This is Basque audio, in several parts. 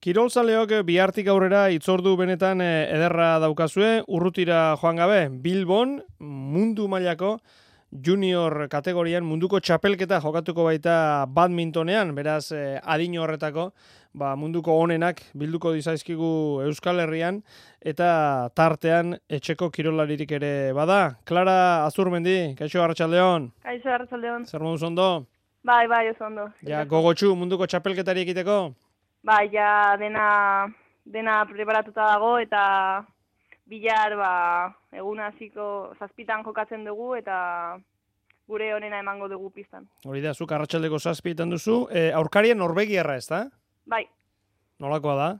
Kirolzaleok bihartik aurrera itzordu benetan ederra daukazue, urrutira joan gabe, Bilbon mundu mailako junior kategorian munduko txapelketa jokatuko baita badmintonean, beraz adin horretako munduko onenak bilduko dizaizkigu Euskal Herrian eta tartean etxeko kirolaririk ere bada. Clara Azurmendi, kaixo arratsaldeon. Kaixo arratsaldeon. Zer moduz ondo? Bai, oso ondo. Ja, gogotsu munduko txapelketari ekiteko? Bai, ja dena preparatuta dago eta bihar egun hasiko 7 jokatzen dugu eta gure onena emango dugu pistan. Hori da, zuk arratsaldeko 7 duzu. Aurkarien norbegiarra, ez da? Bai. Nolakoa da?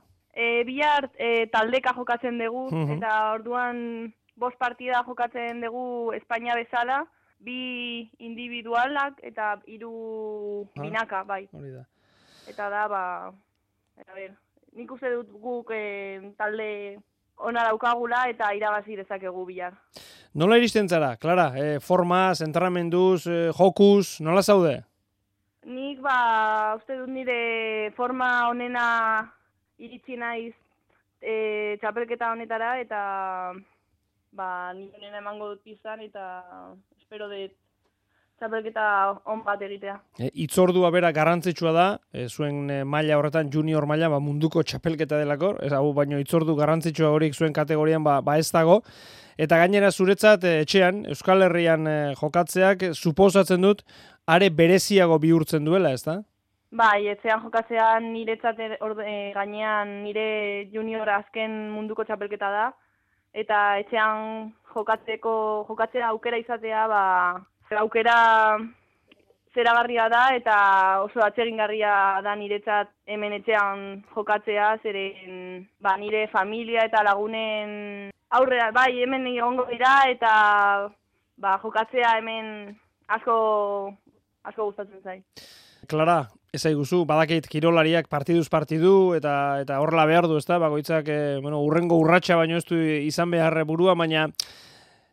Bihar taldeka jokatzen dugu eta orduan 5 partida jokatzen dugu Espainia bezala, 2 individualak eta 3 binaka, bai. Hori da. Eta da, nik uste dut guk talde ona daukagula eta irabazi dezakegu bihar. Nola iristen zara, Clara? Formaz, entrenamenduz, jokuz, nola zaude? Nik uste dut nire forma onena iritsi naiz txapelketa honetara eta nire onena emango dut izan eta espero dut txapelketa on bat egitea. Itzordua bera garrantzitsua da, zuen maila horretan junior maila munduko txapelketa delako, hau baino itzordu garrantzitsua horik zuen kategorian ez dago, eta gainera zuretzat etxean, Euskal Herrian jokatzeak, suposatzen dut, are bereziago bihurtzen duela, ez da? Bai, etxean jokatzean niretzat gainean nire junior azken munduko txapelketa da, eta etxean jokatzea aukera izatea, aukera zeragarria da eta oso atsegingarria da niretzat hemen etxean jokatzea, zeren nire familia eta lagunen aurrera, hemen egongo dira eta jokatzea hemen asko gustatzen zait. Clara, ezaiguzu, badakit kirolariak partiduz partidu eta horrela behar du, ezta? Bakoitzak urrengo urratsa baino ez du izan behar burua, baina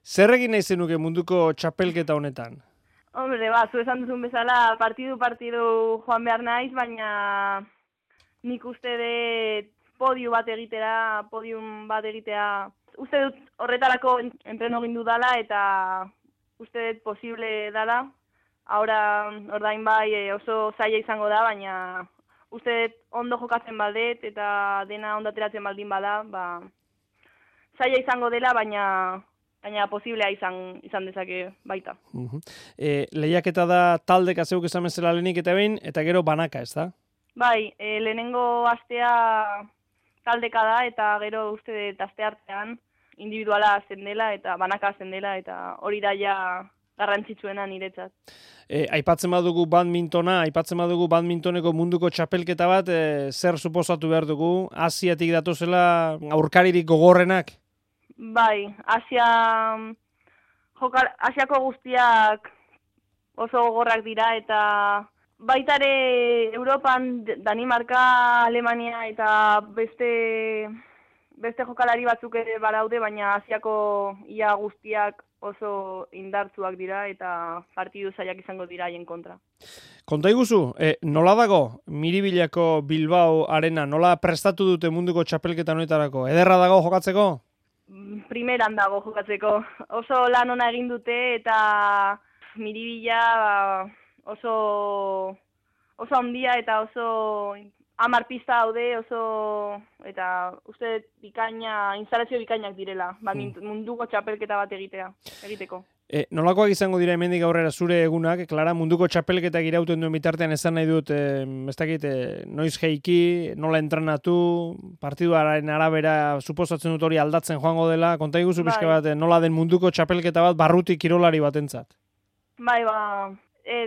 zer egin nahi zenuke munduko txapelketa honetan? Hombre, zu esan duzun bezala partidu joan behar naiz, baina nik uste dut podium bat egitea. Uste dut horretarako entreno egin dudala eta uste dut posible dala. Ordain oso zaila izango da, baina uste dut ondo jokatzen baldet eta dena ondo ateratzen baldin bada, zaila izango dela, baina posiblea izan dezake baita. Lehiaketa da taldeka zeuk esan bezala lehenik eta behin, eta gero banaka, ez da? Bai, lehenengo astea taldeka da, eta gero uste dut aste artean individuala zen dela, eta banaka zen dela, eta hori da ja garrantzitsuena niretzat. Aipatzen badugu badmintoneko munduko txapelketa bat, zer suposatu behar dugu? Asiatik datozela aurkaririk gogorrenak? Bai, Asiako guztiak oso gogorrak dira eta baita ere Europan Danimarka, Alemania eta beste jokalari batzuk ere badaude, baina Asiako ia guztiak oso indartsuak dira eta partidu zailak izango dira haien kontra. Konta iguzu, nola dago Miribilako Bilbao arena, nola prestatu dute munduko txapelketa honetarako? Ederra dago jokatzeko? Primeran dago jokatzeko. Oso lan ona egin dute eta Miribilla oso handia eta oso 10 pista daude, eta uste instalazio bikainak direla, munduko txapelketa bat egiteko. Nolakoak izango dira hemendik aurrera zure egunak, Clara, munduko txapelketak irauten duen bitartean esan nahi dut, noiz jeiki, nola entrenatu, partiduaren arabera suposatzen dut hori aldatzen joango dela, konta iguzu pixka bat, nola den munduko txapelketa bat barrutik kirolari batentzat? Bai,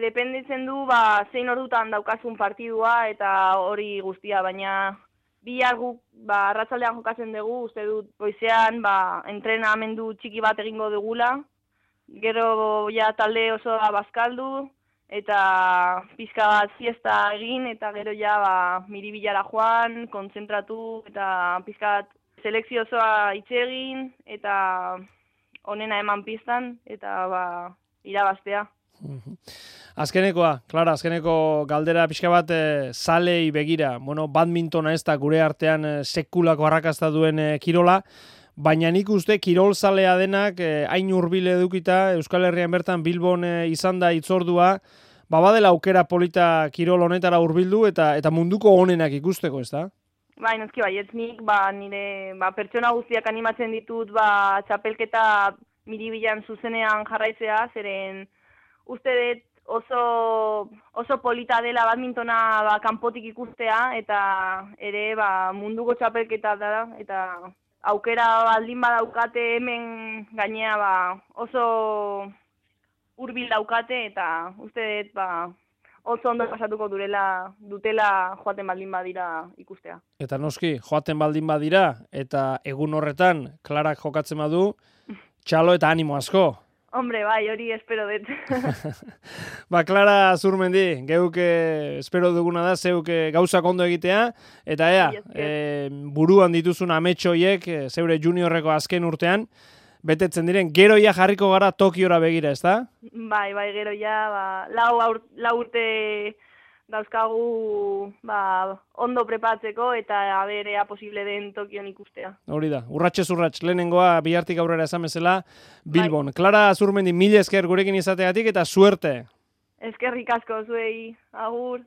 dependitzen du, zein ordutan daukazun partidua eta hori guztia, baina bihar guk arratsaldean jokatzen dugu, uste dut goizean entrenamendu txiki bat egingo dugula, gero talde osoa bazkaldu eta pizka bat fiesta egin eta gero Miribillara joan, kontzentratu eta pizka bat selekzio osoa itxe egin eta onena eman pistan eta irabaztea. Azkenekoa, Klara, azkeneko galdera pixka bat zalei begira. Bueno, badmintona ez da gure artean sekulako arrakasta duen kirola, baina nik uste kirol zalea denak hain hurbil edukita Euskal Herrian bertan Bilbon izan da hitzordua, badela aukera polita kirol honetara hurbildu eta munduko onenak ikusteko, ez da? Bai, noski baietz nik, nire pertsona guztiak animatzen ditut, txapelketa miribilan zuzenean jarraizea, zeren uste dut oso polita dela badmintona kanpotik ikustea, eta ere munduko txapelketa da, eta aukera baldin badaukate hemen gainea oso hurbil daukate, eta uste dut oso ondo pasatuko dutela joaten baldin badira ikustea. Eta noski, joaten baldin badira, eta egun horretan, Klarak jokatzen badu, txalo eta animo asko. Hombre, bai, hori espero dut. Klara Zurmendi, geuk espero duguna da, zeuk gauzak ondo egitea, eta buruan dituzun ametxoiek, zeure juniorreko azken urtean, betetzen diren, geroia jarriko gara Tokiora begira, ez da? Bai, geroia, lau urte dauzkagu ondo prepatzeko eta aberea posible den Tokion ikustea. Hori da, urratxez urratx, lehenengoa bihartik aurrera esan bezala Bilbon. Bai. Klara Zurmendi, mila esker gurekin izategatik eta suerte. Eskerrik asko zuei, agur.